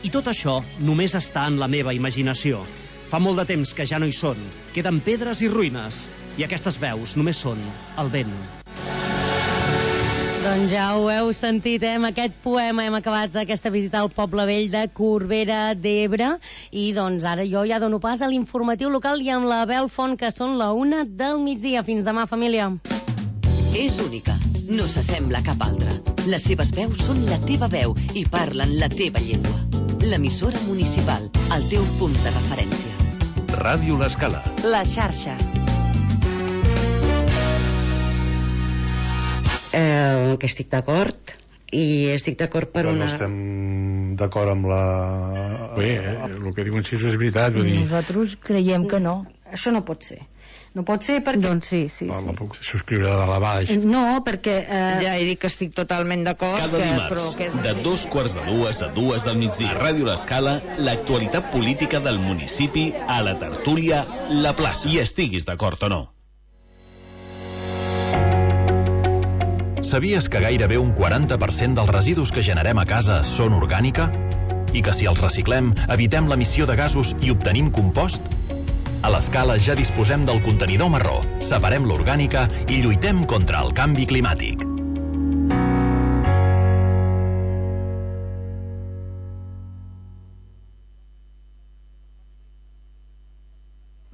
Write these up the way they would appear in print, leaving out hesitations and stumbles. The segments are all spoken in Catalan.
I tot això només està en la meva imaginació. Fa molt de temps que ja no hi són. Queden pedres i ruïnes. I aquestes veus només són el vent. Doncs ja ho heu sentit, amb aquest poema hem acabat aquesta visita al Poble Vell de Corbera d'Ebre i doncs ara jo ja dono pas a l'informatiu local i amb la Bel Font, que són la 1 del migdia. Fins demà, família. És única, no s'assembla a cap altra. Les seves veus són la teva veu i parlen la teva llengua. L'emissora municipal, el teu punt de referència. Ràdio L'Escala. La xarxa. Que estic d'acord i estic d'acord per una... No estem d'acord amb la... Bé, el que diuen si és veritat, vull dir... Nosaltres creiem que no. Això no pot ser. No pot ser perquè... Doncs sí. La puc subscriure de la baix. No, perquè... Ja he dit que estic totalment d'acord. Cada dimarts, de 2:45 a 2 del migdia, a Ràdio L'Escala, l'actualitat política del municipi a la tertúlia La Plaça. I estiguis d'acord o no. Sabies que gairebé un 40% dels residus que generem a casa són orgànica? I que si els reciclem, evitem l'emissió de gasos i obtenim compost? A l'Escala ja disposem del contenidor marró, separem l'orgànica i lluitem contra el canvi climàtic.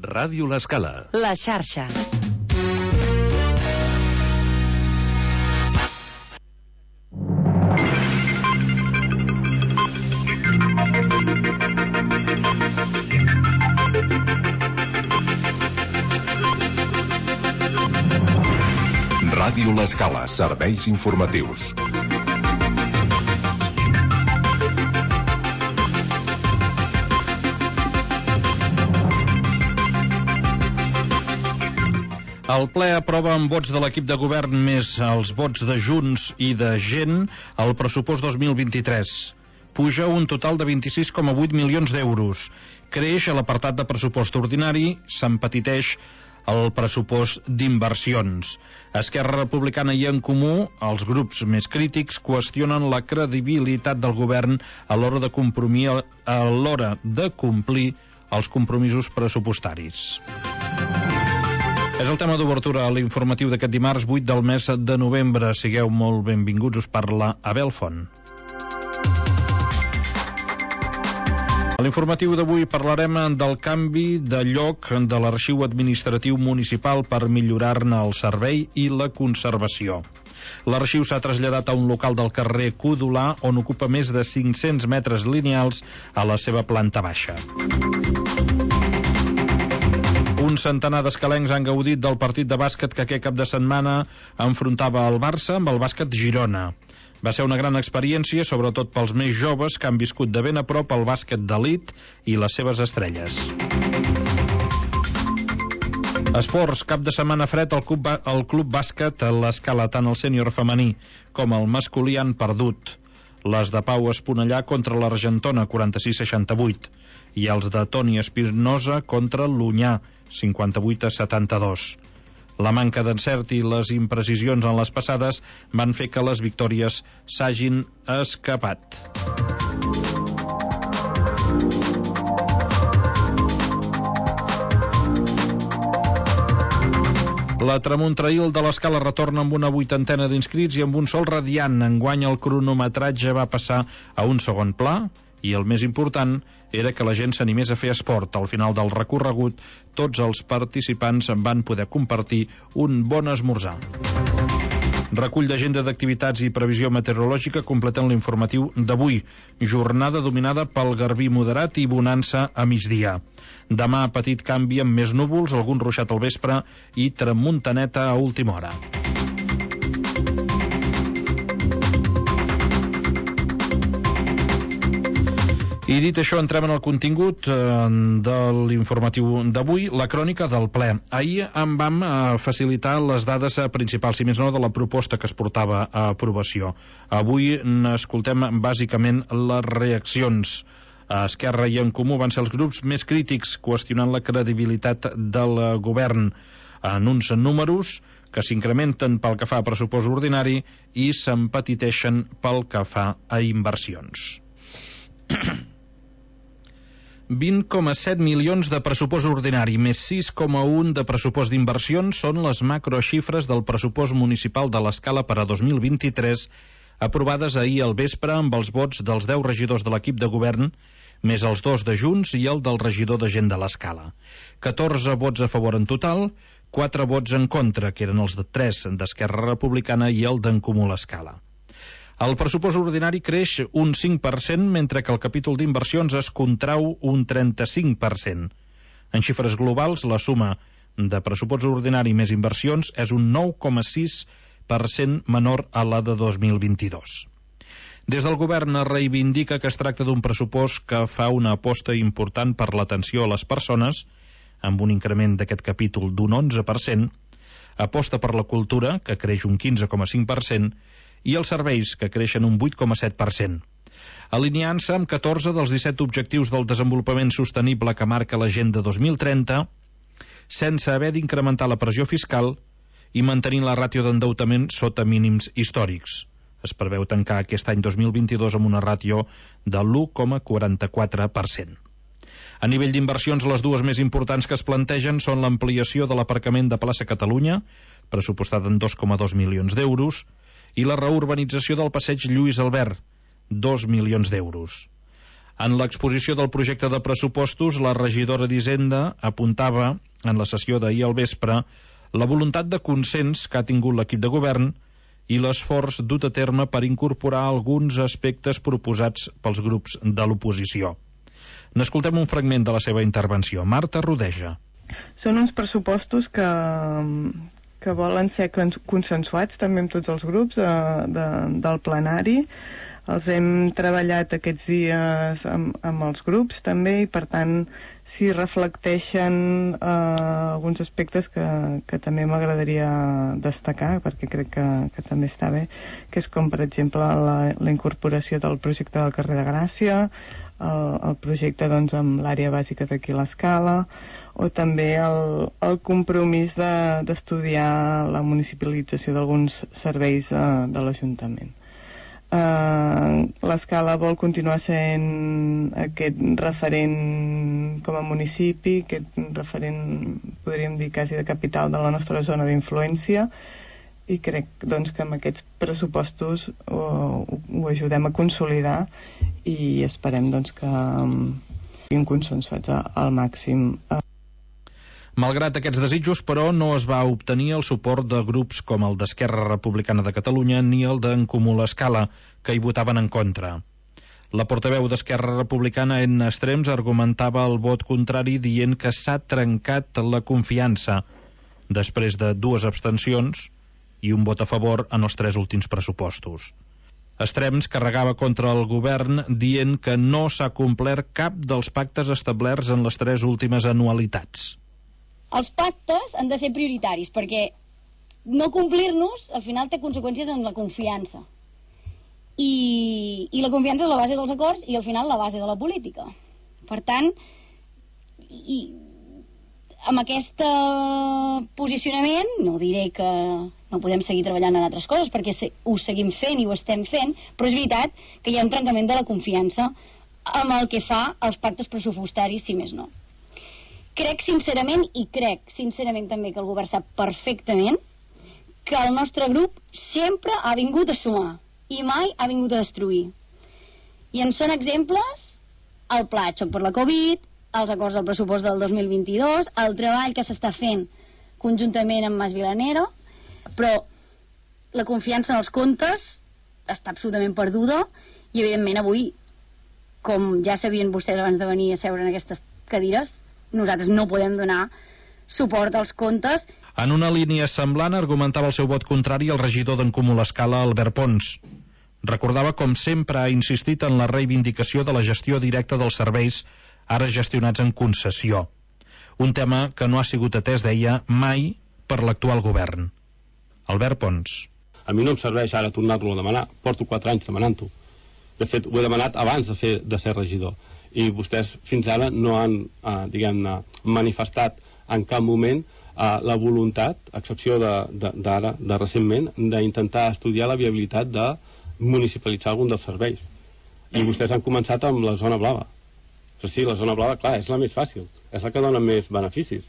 Ràdio L'Escala. La xarxa. Ràdio L'Escala, serveis informatius. El ple aprova amb vots de l'equip de govern més els vots de Junts i de Gent el pressupost 2023. Puja un total de 26,8 milions d'euros. Creix a l'apartat de pressupost ordinari, s'empetiteix el pressupost d'inversions. Esquerra Republicana i En Comú, els grups més crítics, qüestionen la credibilitat del govern a l'hora de complir els compromisos pressupostaris. És el tema d'obertura a l'informatiu d'aquest dimarts 8 del mes de novembre. Sigueu molt benvinguts, us parla Abel Font. A l'informatiu d'avui parlarem del canvi de lloc de l'arxiu administratiu municipal per millorar-ne el servei i la conservació. L'arxiu s'ha traslladat a un local del carrer Codolà, on ocupa més de 500 metres lineals a la seva planta baixa. Un centenar d'escalencs han gaudit del partit de bàsquet que aquest cap de setmana enfrontava el Barça amb el Bàsquet Girona. Va ser una gran experiència, sobretot pels més joves que han viscut de ben a prop el bàsquet d'elit i les seves estrelles. Esports, cap de setmana fred, el club bàsquet a l'Escala, tant el sènior femení com el masculí han perdut. Les de Pau Esponellà contra l'Argentona, 46-68, i els de Toni Espinosa contra l'Unyà, 58-72. La manca d'encert i les imprecisions en les passades van fer que les victòries s'hagin escapat. La Tramuntrail de l'Escala retorna amb una 80ena d'inscrits i amb un sol radiant. Enguany el cronometratge va passar a un segon pla i el més important era que la gent s'animés a fer esport. Al final del recorregut, tots els participants van poder compartir un bon esmorzar. Recull d'agenda d'activitats i previsió meteorològica completen l'informatiu d'avui. Jornada dominada pel garbí moderat i bonança a migdia. Demà petit canvi amb més núvols, algun ruixat al vespre i tramuntaneta a última hora. I dit això, entrem en el contingut de l'informatiu d'avui, la crònica del ple. Ahir en vam facilitar les dades principals, si més no, de la proposta que es portava a aprovació. Avui n'escoltem bàsicament les reaccions. Esquerra i En Comú van ser els grups més crítics, qüestionant la credibilitat del govern en uns números que s'incrementen pel que fa a pressupost ordinari i s'empetiteixen pel que fa a inversions. 20,7 milions de pressupost ordinari més 6,1 de pressupost d'inversions són les macroxifres del pressupost municipal de l'Escala per a 2023, aprovades ahir al vespre amb els vots dels 10 regidors de l'equip de govern, més els 2 de Junts i el del regidor de gent de l'Escala. 14 vots a favor en total, 4 vots en contra, que eren els de 3 d'Esquerra Republicana i el d'en Comú l'Escala. El pressupost ordinari creix un 5%, mentre que el capítol d'inversions es contrau un 35%. En xifres globals, la suma de pressupost ordinari més inversions és un 9,6% menor a la de 2022. Des del govern es reivindica que es tracta d'un pressupost que fa una aposta important per l'atenció a les persones, amb un increment d'aquest capítol d'un 11%, aposta per la cultura, que creix un 15,5%, i els serveis, que creixen un 8,7%. Alineant-se amb 14 dels 17 objectius del desenvolupament sostenible que marca l'Agenda 2030, sense haver d'incrementar la pressió fiscal i mantenint la ràtio d'endeutament sota mínims històrics. Es preveu tancar aquest any 2022 amb una ràtio de l'1,44%. A nivell d'inversions, les dues més importants que es plantegen són l'ampliació de l'aparcament de Plaça Catalunya, pressupostada en 2,2 milions d'euros, i la reurbanització del passeig Lluís Albert, 2 milions d'euros. En l'exposició del projecte de pressupostos, la regidora d'Hisenda apuntava, en la sessió d'ahir al vespre, la voluntat de consens que ha tingut l'equip de govern i l'esforç dut a terme per incorporar alguns aspectes proposats pels grups de l'oposició. N'escoltem un fragment de la seva intervenció. Marta Rodeja. Són uns pressupostos que volen ser consensuats també amb tots els grups del plenari. Els hem treballat aquests dies amb els grups també i per tant s'hi reflecteixen alguns aspectes que també m'agradaria destacar perquè crec que també està bé, que és com per exemple la incorporació del projecte del carrer de Gràcia, el projecte doncs amb l'àrea bàsica d'aquí a l'Escala, o també el compromís d'estudiar la municipalització d'alguns serveis de l'Ajuntament. L'Escala vol continuar sent aquest referent com a municipi, aquest referent, podríem dir, quasi de capital de la nostra zona d'influència, i crec doncs, que amb aquests pressupostos ho ajudem a consolidar i esperem doncs, que siguin consensuats al màxim. Malgrat aquests desitjos, però, no es va obtenir el suport de grups com el d'Esquerra Republicana de Catalunya ni el d'en Comú l'Escala, que hi votaven en contra. La portaveu d'Esquerra Republicana, Edna Estrems, argumentava el vot contrari dient que s'ha trencat la confiança després de 2 abstencions i un vot a favor en els 3 últims pressupostos. Estrems carregava contra el govern dient que no s'ha complert cap dels pactes establerts en les 3 últimes anualitats. Els pactes han de ser prioritaris perquè no complir-nos al final té conseqüències en la confiança i la confiança és la base dels acords i al final la base de la política. Per tant, amb aquest posicionament no diré que no podem seguir treballant en altres coses perquè ho seguim fent i ho estem fent, però és veritat que hi ha un trencament de la confiança amb el que fa als pactes pressupostaris, si més no. Crec sincerament també que el govern sap perfectament que el nostre grup sempre ha vingut a sumar i mai ha vingut a destruir. I en són exemples el pla de xoc per la Covid, els acords del pressupost del 2022, el treball que s'està fent conjuntament amb Mas Vilanero, però la confiança en els comptes està absolutament perduda i evidentment avui, com ja sabien vostès abans de venir a seure en aquestes cadires, nosaltres no podem donar suport als comptes. En una línia semblant argumentava el seu vot contrari el regidor d'en Comú l'Escala, Albert Pons. Recordava com sempre ha insistit en la reivindicació de la gestió directa dels serveis ara gestionats en concessió. Un tema que no ha sigut atès, deia, mai per l'actual govern. Albert Pons. A mi no em serveix ara tornar-lo a demanar. Porto 4 anys demanant-ho. De fet, ho he demanat abans de ser regidor. I vostès fins ara no han, diguem-ne, manifestat en cap moment la voluntat, a excepció d'ara, de recentment, d'intentar estudiar la viabilitat de municipalitzar algun dels serveis. I vostès han començat amb la zona blava. O Però sí, la zona blava, clar, és la més fàcil, és la que dona més beneficis.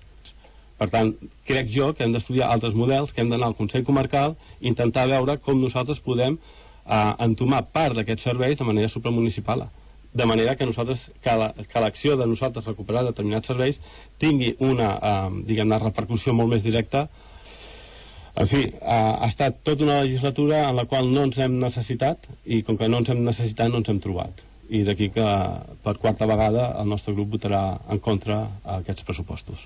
Per tant, crec jo que hem d'estudiar altres models, que hem d'anar al Consell Comarcal i intentar veure com nosaltres podem entomar part d'aquests serveis de manera supramunicipal. De manera que nosaltres, que l'acció de nosaltres recuperar determinats serveis tingui una, diguem-ne, repercussió molt més directa. En fi, ha estat tota una legislatura en la qual no ens hem necessitat, i com que no ens hem necessitat no ens hem trobat. I d'aquí que per quarta vegada el nostre grup votarà en contra aquests pressupostos.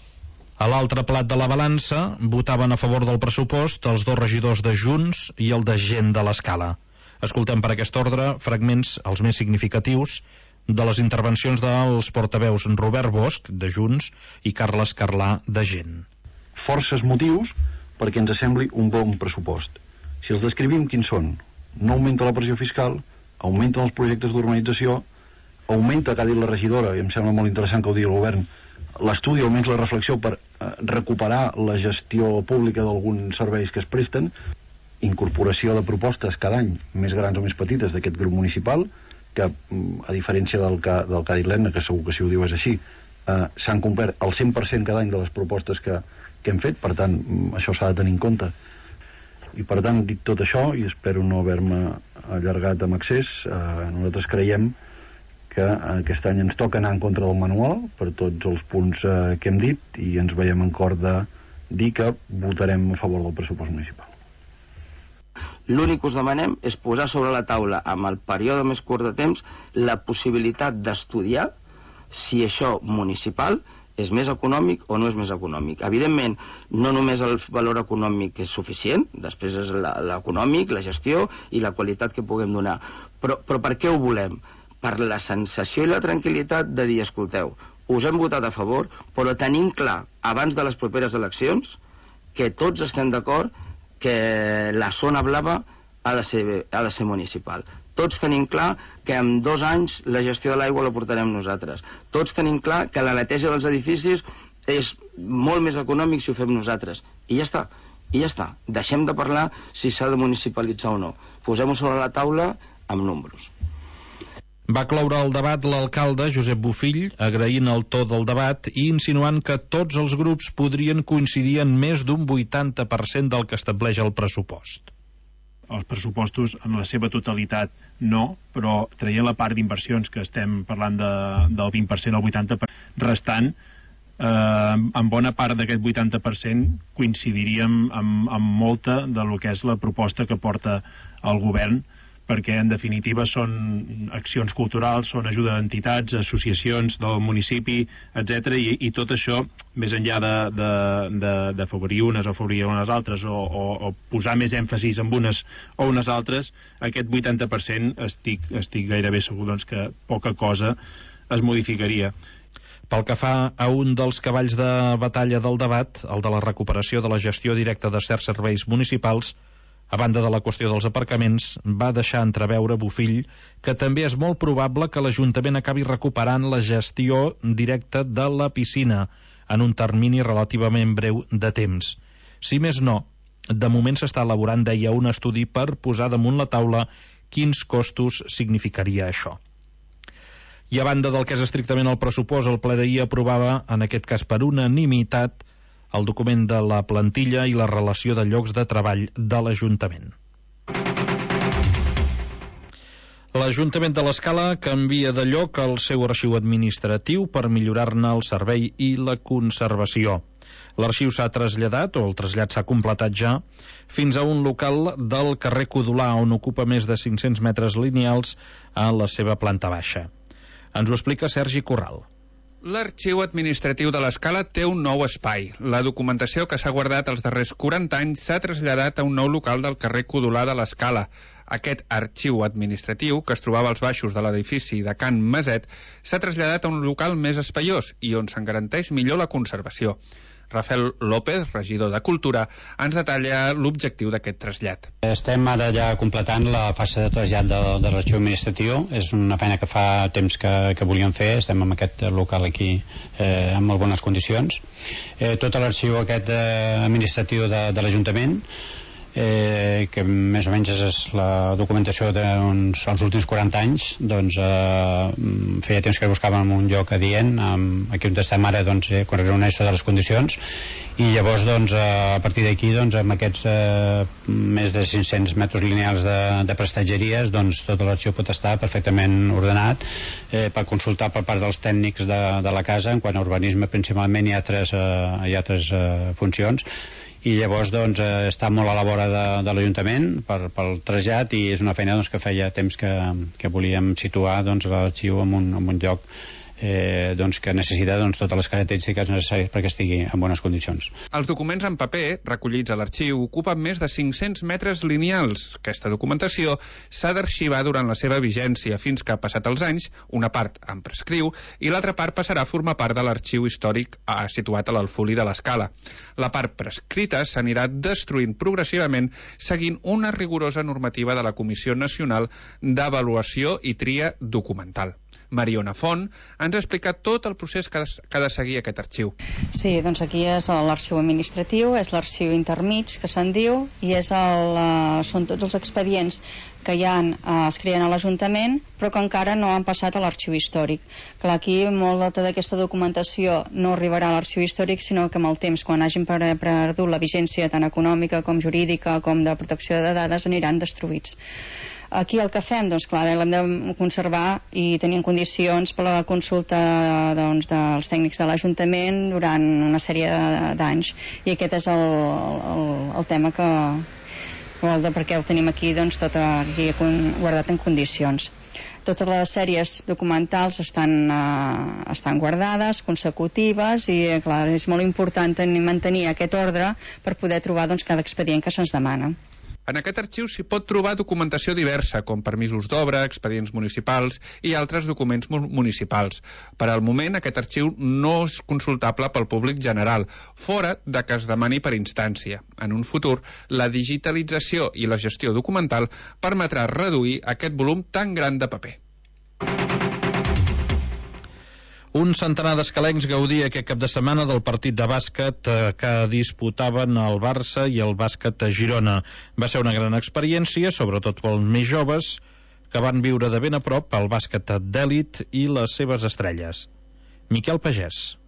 A l'altre plat de la balança votaven a favor del pressupost els 2 regidors de Junts i el de Gent de l'Escala. Escoltem per aquest ordre fragments, els més significatius, de les intervencions dels portaveus Robert Bosch, de Junts, i Carles Carlà, de Gent. Forces motius perquè ens sembli un bon pressupost. Si els descrivim, quins són? No augmenta la pressió fiscal, augmenten els projectes d'urbanització, augmenta, que ha dit la regidora, i em sembla molt interessant que ho digui el govern, l'estudi, almenys la reflexió per recuperar la gestió pública d'alguns serveis que es presten, incorporació de propostes cada any, més grans o més petites, d'aquest grup municipal, que, a diferència del que ha dit l'Edna, que segur que si ho diu és així, s'han complert el 100% cada any de les propostes que hem fet, per tant, això s'ha de tenir en compte. I per tant, dit tot això, i espero no haver-me allargat amb excés, nosaltres creiem que aquest any ens toca anar en contra del manual per tots els punts que hem dit, i ens veiem en cor de dir que votarem a favor del pressupost municipal. L'únic que us demanem és posar sobre la taula, amb el període més curt de temps, la possibilitat d'estudiar si això municipal és més econòmic o no és més econòmic. Evidentment, no només el valor econòmic és suficient, després és l'econòmic, la gestió i la qualitat que puguem donar. Però per què ho volem? Per la sensació i la tranquil·litat de dir, escolteu, us hem votat a favor, però tenim clar, abans de les properes eleccions, que tots estem d'acord que la zona blava ha de ser municipal. Tots tenim clar que en 2 anys la gestió de l'aigua la portarem nosaltres. Tots tenim clar que la neteja dels edificis és molt més econòmic si ho fem nosaltres. I ja està. Deixem de parlar si s'ha de municipalitzar o no. Posem-ho sobre la taula amb números. Va cloure el debat l'alcalde Josep Bofill, agraint el to del debat i insinuant que tots els grups podrien coincidir en més d'un 80% del que estableix el pressupost. Els pressupostos en la seva totalitat no, però traient la part d'inversions que estem parlant del 20% al 80% restant, en bona part d'aquest 80% coincidiríem amb molta de lo que és la proposta que porta el govern, perquè en definitiva són accions culturals, són ajuda d'entitats, associacions del municipi, etc. I tot això, més enllà d'afavorir unes o afavorir unes altres, o posar més èmfasis en unes o unes altres, aquest 80% estic gairebé segur que poca cosa es modificaria. Pel que fa a un dels cavalls de batalla del debat, el de la recuperació de la gestió directa de certs serveis municipals, a banda de la qüestió dels aparcaments, va deixar entreveure Bofill que també és molt probable que l'Ajuntament acabi recuperant la gestió directa de la piscina en un termini relativament breu de temps. Si més no, de moment s'està elaborant, deia, un estudi per posar damunt la taula quins costos significaria això. I a banda del que és estrictament el pressupost, el ple d'ahir aprovava, en aquest cas per unanimitat, el document de la plantilla i la relació de llocs de treball de l'Ajuntament. L'Ajuntament de l'Escala canvia de lloc el seu arxiu administratiu per millorar-ne el servei i la conservació. L'arxiu s'ha traslladat, o el trasllat s'ha completat ja, fins a un local del carrer Codolà, on ocupa més de 500 metres lineals a la seva planta baixa. Ens ho explica Sergi Corral. L'arxiu administratiu de l'Escala té un nou espai. La documentació que s'ha guardat els darrers 40 anys s'ha traslladat a un nou local del carrer Codolà de l'Escala. Aquest arxiu administratiu, que es trobava als baixos de l'edifici de Can Maset, s'ha traslladat a un local més espaiós i on se'n garanteix millor la conservació. Rafael López, regidor de Cultura, ens detalla l'objectiu d'aquest trasllat. Estem ara ja completant la fase de trasllat de l'arxiu administratiu. És una feina que fa temps que volíem fer. Estem en aquest local aquí en molt bones condicions. Tot l'arxiu aquest administratiu de l'Ajuntament que més o menys és la documentació dels últims 40 anys, doncs feia temps que buscàvem un lloc adient, aquí on estem ara doncs, quan reuneix de les condicions, i llavors doncs, a partir d'aquí doncs, amb aquests més de 500 metres lineals de prestatgeries, doncs tot l'arxiu pot estar perfectament ordenat per consultar per part dels tècnics de la casa. En quant a urbanisme principalment hi ha tres funcions, i llavors doncs, està molt a la vora de l'Ajuntament pel trasllat, i és una feina doncs, que feia temps que volíem situar doncs, l'arxiu en un lloc doncs, que necessita doncs, totes les característiques necessàries perquè estigui en bones condicions. Els documents en paper recollits a l'arxiu ocupen més de 500 metres lineals. Aquesta documentació s'ha d'arxivar durant la seva vigència fins que, passat els anys, una part en prescriu i l'altra part passarà a formar part de l'arxiu històric situat a l'Alfolí de l'Escala. La part prescrita s'anirà destruint progressivament seguint una rigorosa normativa de la Comissió Nacional d'Avaluació i Tria Documental. Mariona Font ens ha explicat tot el procés que ha de seguir aquest arxiu. Sí, doncs aquí és l'arxiu administratiu, és l'arxiu intermig, que se'n diu, i són tots els expedients que es creen a l'Ajuntament, però que encara no han passat a l'arxiu històric. Clar, aquí molta d'aquesta documentació no arribarà a l'arxiu històric, sinó que amb el temps, quan hagin perdut la vigència tant econòmica com jurídica com de protecció de dades, aniran destruïts. Aquí el que fem, doncs clar, l'hem de conservar i tenir en condicions per la consulta doncs, dels tècnics de l'Ajuntament durant una sèrie d'anys, i aquest és el tema per què el tenim aquí, doncs, tot aquí guardat en condicions. Totes les sèries documentals estan guardades, consecutives, i clar, és molt important mantenir aquest ordre per poder trobar doncs, cada expedient que se'ns demana. En aquest arxiu s'hi pot trobar documentació diversa, com permisos d'obra, expedients municipals i altres documents municipals. Per al moment, aquest arxiu no és consultable pel públic general, fora de que es demani per instància. En un futur, la digitalització i la gestió documental permetrà reduir aquest volum tan gran de paper. Un centenar d'escalencs gaudia aquest cap de setmana del partit de bàsquet que disputaven el Barça i el bàsquet a Girona. Va ser una gran experiència, sobretot pels més joves, que van viure de ben a prop el bàsquet d'èlit i les seves estrelles. Miquel Pagès.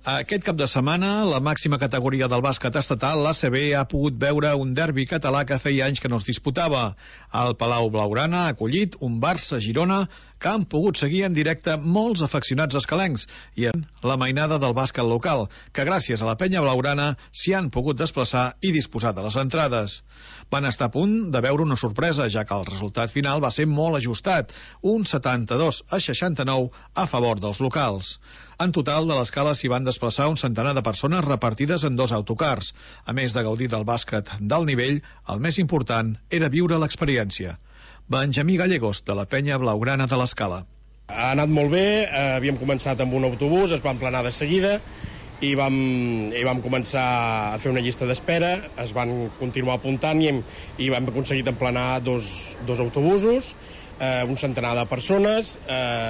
Aquest cap de setmana, la màxima categoria del bàsquet estatal, l'ACB, ha pogut veure un derbi català que feia anys que no es disputava. El Palau Blaugrana ha acollit un Barça-Girona que han pogut seguir en directe molts afeccionats escalencs i en la mainada del bàsquet local, que gràcies a la penya blaugrana s'hi han pogut desplaçar i disposar de les entrades. Van estar a punt de veure una sorpresa, ja que el resultat final va ser molt ajustat, un 72-69 a favor dels locals. En total, de l'escala s'hi van desplaçar un centenar de persones repartides en 2 autocars. A més de gaudir del bàsquet d'alt nivell, el més important era viure l'experiència. Benjamí Gallegos, de la penya blaugrana de l'Escala. Ha anat molt bé, havíem començat amb un autobús, es va emplenar de seguida i vam començar a fer una llista d'espera, es van continuar apuntant i vam aconseguir emplenar dos autobusos, un centenar de persones,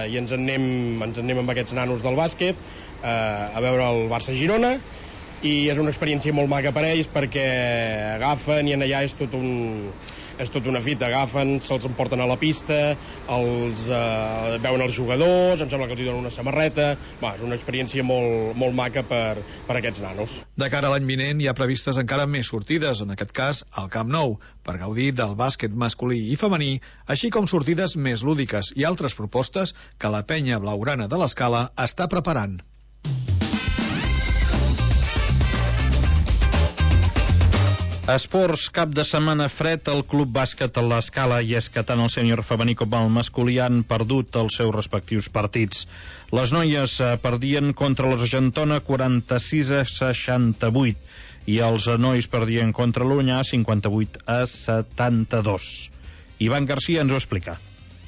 i ens en anem amb aquests nanos del bàsquet a veure el Barça-Girona, i és una experiència molt maca per ells perquè agafen i en allà és tot una fita, agafen, se'ls emporten a la pista, veuen els jugadors, em sembla que els hi donen una samarreta. És una experiència molt maca per aquests nanos. De cara a l'any vinent hi ha previstes encara més sortides, en aquest cas al Camp Nou, per gaudir del bàsquet masculí i femení, així com sortides més lúdiques i altres propostes que la penya blaugrana de l'Escala està preparant. Esports, cap de setmana fred al Club Bàsquet a l'Escala, i és que tant el sènior femení com el masculí han perdut els seus respectius partits. Les noies perdien contra l'Argentona 46-68 i els nois perdien contra l'Unyà 58-72. Ivan Garcia ens ho explica.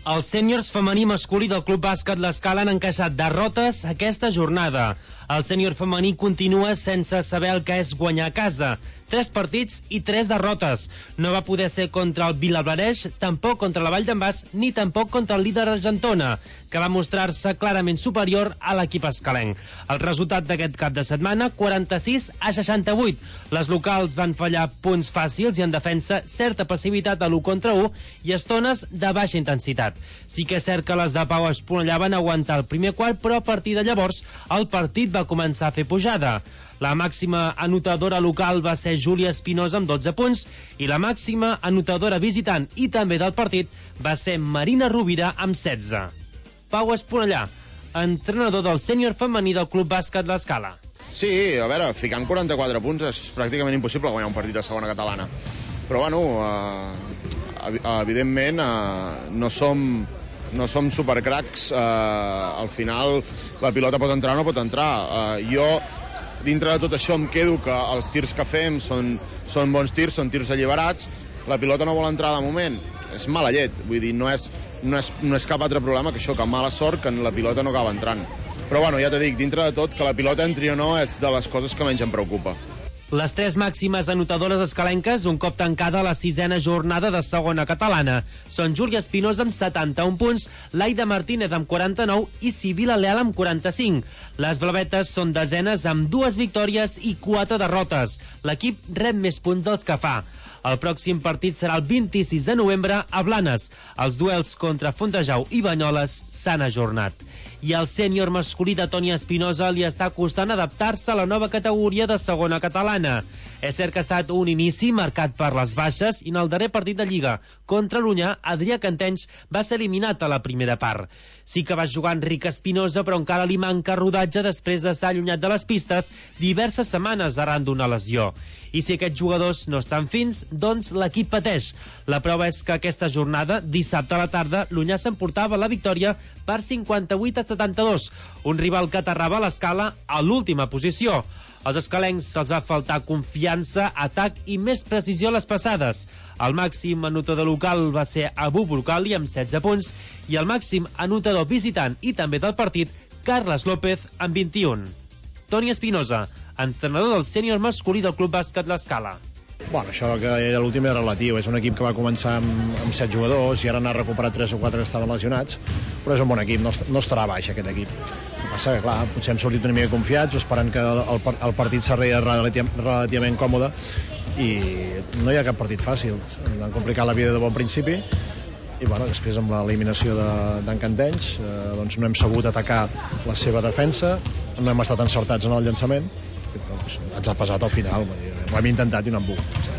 Els sèniors femení masculí del Club Bàsquet l'Escala han encaixat derrotes aquesta jornada. El sènior femení continua sense saber el que és guanyar a casa. 3 partits i 3 derrotes. No va poder ser contra el Vilablareix, tampoc contra la Vall d'en Bas, ni tampoc contra el líder Argentona, que va mostrar-se clarament superior a l'equip escalenc. El resultat d'aquest cap de setmana, 46-68. Les locals van fallar punts fàcils i en defensa certa passivitat a l'1 contra 1 i estones de baixa intensitat. Sí que és cert que les de Pau Esponellà van aguantar el primer quart, però a partir de llavors el partit va començar a fer pujada. La màxima anotadora local va ser Júlia Espinosa amb 12 punts i la màxima anotadora visitant i també del partit va ser Marina Rovira amb 16. Pau Esponellà, entrenador del sènior femení del Club Bàsquet L'Escala. Sí, a veure, ficant 44 punts és pràcticament impossible guanyar un partit de segona catalana. Però bueno, evidentment no som supercracs. Al final la pilota pot entrar o no pot entrar. Jo dintre de tot això em quedo que els tirs que fem són bons tirs, són tirs alliberats, la pilota no vol entrar de moment, és mala llet, vull dir, no és cap altre problema que això, que mala sort que la pilota no acaba entrant. Però bueno, ja t'he dit, dintre de tot, que la pilota entri o no és de les coses que menys em preocupa. Les 3 màximes anotadores escalenques, un cop tancada la 6a jornada de segona catalana, són Júlia Espinosa amb 71 punts, Laida Martínez amb 49 i Sibila Leal amb 45. Les blavetes són desenes amb 2 victòries i 4 derrotes. L'equip rep més punts dels que fa. El pròxim partit serà el 26 de novembre a Blanes. Els duels contra Fontejau i Banyoles s'han ajornat. I al sènior masculí de Toni Espinosa li està costant adaptar-se a la nova categoria de segona catalana. És cert que ha estat un inici marcat per les baixes i en el darrer partit de Lliga contra l'Unyà, Adrià Cantenys va ser eliminat a la primera part. Sí que va jugar Enric Espinosa, però encara li manca rodatge després d'estar allunyat de les pistes diverses setmanes arran d'una lesió. I si aquests jugadors no estan fins, doncs l'equip pateix. La prova és que aquesta jornada, dissabte a la tarda, l'Unyà s'emportava la victòria per 58-72, un rival que aterrava a l'Escala a l'última posició. Als escalencs se'ls va faltar confiança, atac i més precisió a les passades. El màxim anotador local va ser Abu Brocali amb 16 punts i el màxim anotador visitant i també del partit, Carles López amb 21. Toni Espinosa, entrenador del sènior masculí del Club Bàsquet L'Escala. Bueno, això que era l'últim era relatiu. És un equip que va començar amb 7 jugadors i ara n'ha recuperat 3 o 4 que estaven lesionats, però és un bon equip, no estarà baix aquest equip. El que passa que, clar, potser hem sortit una mica confiats, esperant que el partit s'arregli relativament còmode, i no hi ha cap partit fàcil. Ens han complicat la vida de bon principi i bueno, després amb l'eliminació d'en Cantenys doncs no hem sabut atacar la seva defensa, no hem estat encertats en el llançament, doncs ens ha pesat al final. Ho hem intentat i no hem volgut.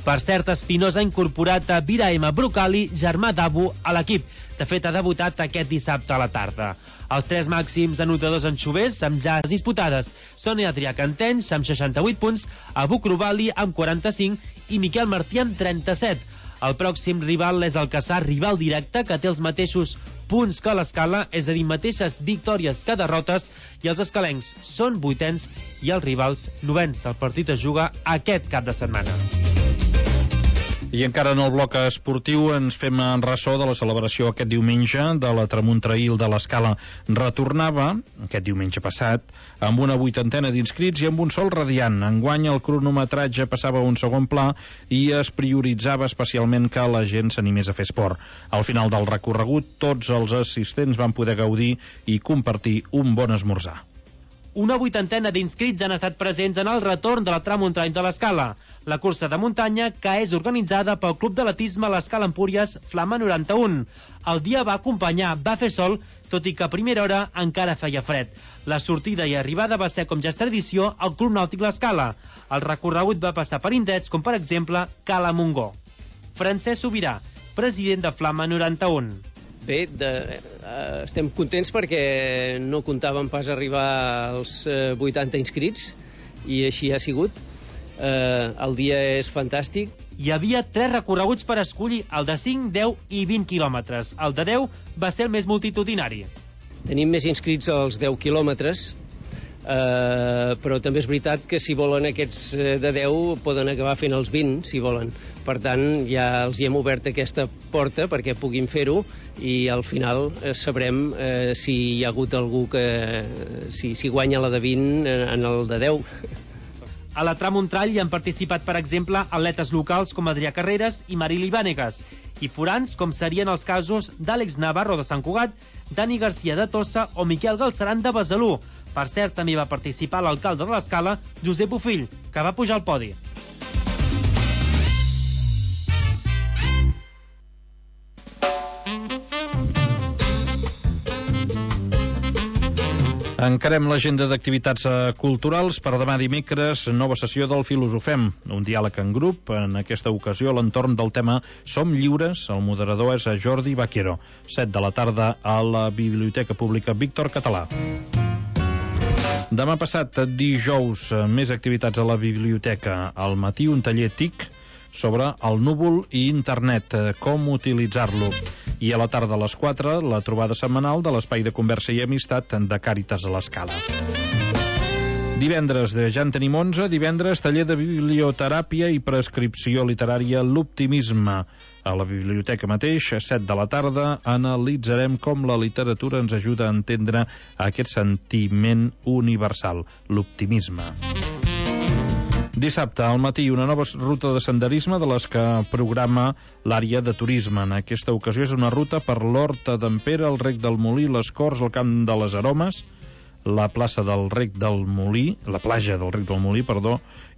Per cert, Espinosa ha incorporat a Biraem Brocali, germà d'Abu, a l'equip. De fet, ha debutat aquest dissabte a la tarda. Els 3 màxims anotadors en xovers, amb ja disputades, són Adrià Cantenys, amb 68 punts, Abu Krubali, amb 45, i Miquel Martí, amb 37. El pròxim rival és el Caçà, rival directe, que té els mateixos punts que l'Escala, és a dir, mateixes victòries que derrotes, i els escalencs són 8ens i els rivals 9ens. El partit es juga aquest cap de setmana. I encara en el bloc esportiu ens fem en ressò de la celebració aquest diumenge de la Tramuntrail de l'Escala. Retornava, aquest diumenge passat, amb una 80ena d'inscrits i amb un sol radiant. Enguany el cronometratge passava a un segon pla i es prioritzava especialment que la gent s'animés a fer esport. Al final del recorregut, tots els assistents van poder gaudir i compartir un bon esmorzar. Una 80ena d'inscrits han estat presents en el retorn de la Tramuntrail de l'Escala, la cursa de muntanya que és organitzada pel Club d'Atletisme l'Escala Empúries Flama 91. El dia va acompanyar, va fer sol, tot i que a primera hora encara feia fred. La sortida i arribada va ser, com ja és tradició, al Club Nàutic l'Escala. El recorregut va passar per indrets com, per exemple, Cala Montgó. Francesc Sobirà, president de Flama 91. Bé, estem contents perquè no comptàvem pas arribar als 80 inscrits i així ha sigut. El dia és fantàstic. Hi havia 3 recorreguts per escollir, el de 5, 10 i 20 quilòmetres. El de 10 va ser el més multitudinari. Tenim més inscrits als 10 quilòmetres, però també és veritat que si volen aquests de 10 poden acabar fent els 20, si volen. Per tant, ja els hi hem obert aquesta porta perquè puguin fer-ho i al final sabrem si hi ha hagut algú que si guanya la de 20 en el de 10. A la Tramuntrall hi han participat, per exemple, atletes locals com Adrià Carreras i Marili Vànegas, i forans com serien els casos d'Àlex Navarro de Sant Cugat, Dani Garcia de Tossa o Miquel Galceran de Besalú. Per cert, també va participar l'alcalde de l'Escala, Josep Bofill, que va pujar al podi. Encarem l'agenda d'activitats culturals per demà dimecres, nova sessió del Filosofem, un diàleg en grup, en aquesta ocasió a l'entorn del tema Som lliures, el moderador és Jordi Baquero, 7 de la tarda a la Biblioteca Pública Víctor Català. Demà passat, dijous, més activitats a la biblioteca. Al matí, un taller TIC sobre el núvol i internet, com utilitzar-lo. I a la tarda a les 4, la trobada setmanal de l'Espai de Conversa i Amistat de Càritas a l'Escala. Divendres, ja en tenim 11, divendres, taller de biblioteràpia i prescripció literària L'Optimisme. A la biblioteca mateix, 7 de la tarda, analitzarem com la literatura ens ajuda a entendre aquest sentiment universal, l'optimisme. Dissabte al matí, una nova ruta de senderisme de les que programa l'àrea de turisme. En aquesta ocasió és una ruta per l'Horta d'en Pere, el Rec del Molí, les Corts, el Camp de les Aromes, la plaça del Rec del Molí, la platja del Rec del Molí,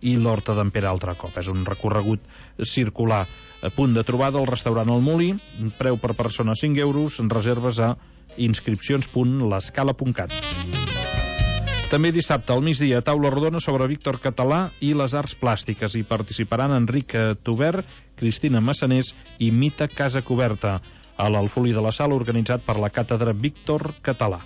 i l'Horta d'en Pere altre cop. És un recorregut circular. A punt de trobada al restaurant El Molí, preu per persona 5 euros, reserves a inscripcions.l'escala.cat. També dissabte al migdia, taula rodona sobre Víctor Català i les arts plàstiques. Hi participaran Enric Tubert, Cristina Massanés i Mita Casa Coberta, a l'Alfolí de la Sala, organitzat per la càtedra Víctor Català.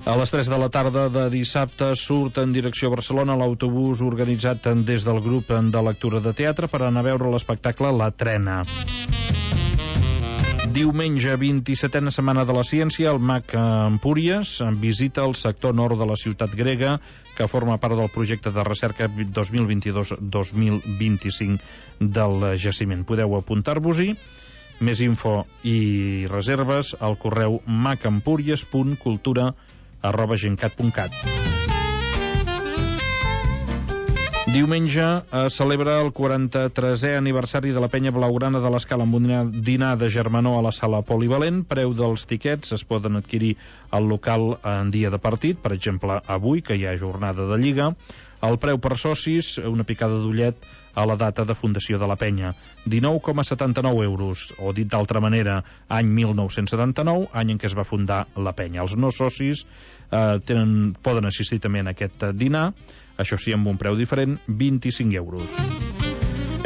A les 3 de la tarda de dissabte surt en direcció a Barcelona l'autobús organitzat des del grup de lectura de teatre per anar a veure l'espectacle La Trena. Diumenge, 27a Setmana de la Ciència, el MAC Empúries visita el sector nord de la ciutat grega, que forma part del projecte de recerca 2022-2025 del jaciment. Podeu apuntar-vos-hi. Més info i reserves al correu macempúries.cultura@gencat.cat. Diumenge celebra el 43è aniversari de la Penya Blaugrana de l'Escala amb un dinar de germanor a la sala polivalent. Preu dels tiquets es poden adquirir al local en dia de partit, per exemple avui, que hi ha jornada de Lliga. El preu per socis, una picada d'ullet a la data de fundació de la penya, 19,79 euros, o dit d'altra manera, any 1979, any en què es va fundar la penya. Els no socis poden assistir també en aquest dinar, això sí, amb un preu diferent, 25 euros.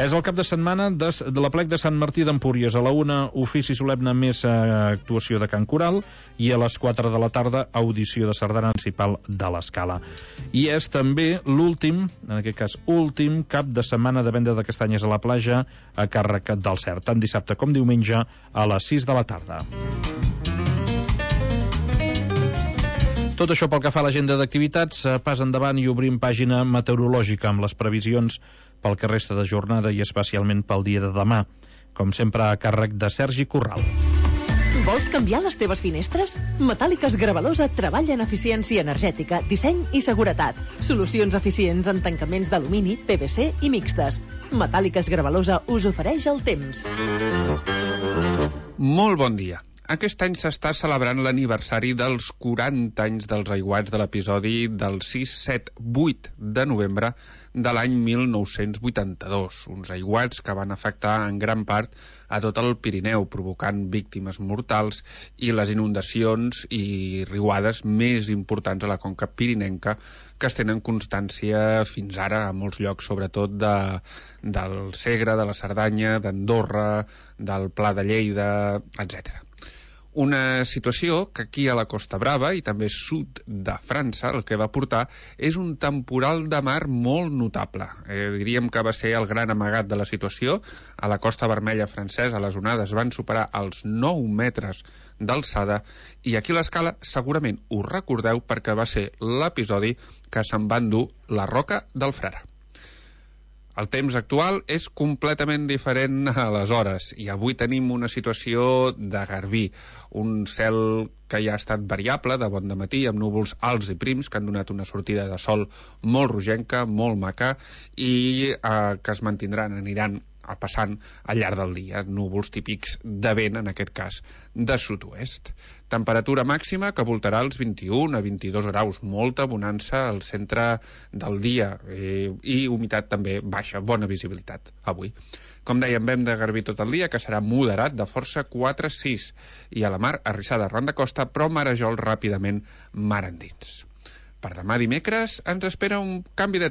És el cap de setmana de l'Aplec de Sant Martí d'Empúries. A la 1, ofici solemne més actuació de Can Coral, i a les 4 de la tarda, audició de sardana principal de l'Escala. I és també l'últim, en aquest cas últim, cap de setmana de venda de castanyes a la platja a càrrec del CERT, tant dissabte com diumenge a les 6 de la tarda. Tot això pel que fa a l'agenda d'activitats. Pas endavant i obrim pàgina meteorològica amb les previsions pel que resta de jornada i especialment pel dia de demà, com sempre a càrrec de Sergi Corral. Vols canviar les teves finestres? Metàl·liques Gravalosa treballa en eficiència energètica, disseny i seguretat. Solucions eficients en tancaments d'alumini, PVC i mixtes. Metàl·liques Gravalosa us ofereix el temps. Molt bon dia. Aquest any s'està celebrant l'aniversari dels 40 anys dels aiguats de l'episodi del 6-7-8 de novembre de l'any 1982. Uns aiguats que van afectar en gran part a tot el Pirineu, provocant víctimes mortals i les inundacions i riuades més importants a la conca pirinenca, que es tenen constància fins ara a molts llocs, sobretot del Segre, de la Cerdanya, d'Andorra, del Pla de Lleida, etc. Una situació que aquí a la Costa Brava i també sud de França el que va portar és un temporal de mar molt notable. Diríem que va ser el gran amagat de la situació. A la Costa Vermella francesa les onades van superar els 9 metres d'alçada i aquí a l'Escala segurament us recordeu perquè va ser l'episodi que se'n va endur la Roca del Frare. El temps actual és completament diferent a aleshores i avui tenim una situació de garbí, un cel que ja ha estat variable de bon dematí amb núvols alts i prims que han donat una sortida de sol molt rogenca, molt maca i que es mantindran, aniran passant al llarg del dia, núvols típics de vent, en aquest cas de sud-oest. Temperatura màxima que voltarà els 21 a 22 graus, molta bonança al centre del dia i humitat també baixa, bona visibilitat avui. Com dèiem, vent de garbí tot el dia, que serà moderat de força 4-6, i a la mar arrissada arran de costa, però marejol ràpidament mar endins. Per demà dimecres ens espera un canvi de